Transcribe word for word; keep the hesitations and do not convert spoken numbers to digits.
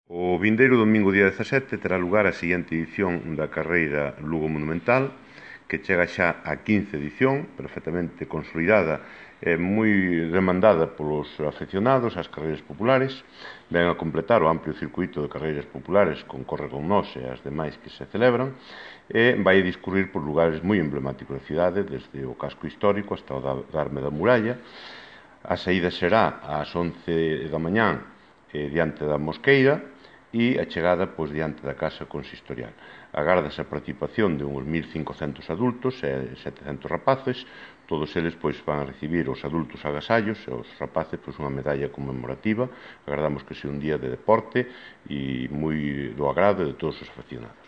O vindeiro domingo día dezasete terá lugar a seguinte edición da carreira Lugo Monumental, que chega xa á quince edición, perfectamente consolidada e moi demandada polos afeccionados ás carreiras populares. Ven a completar o amplio circuito de carreiras populares con Corre con Nós e as demais que se celebran, e vai discurrir por lugares moi emblemáticos da cidade, desde o casco histórico hasta o Darme da Muralla. A saída será ás once da mañán eh, diante da Mosqueira, e a chegada pois, diante da Casa Consistorial. Agárdase a participación de uns mil cincocentos adultos e setecentos rapaces. Todos eles pois, van a recibir os adultos agasallos e os rapaces pois, unha medalla conmemorativa. Agardamos que sea un día de deporte e moi do agrado de todos os aficionados.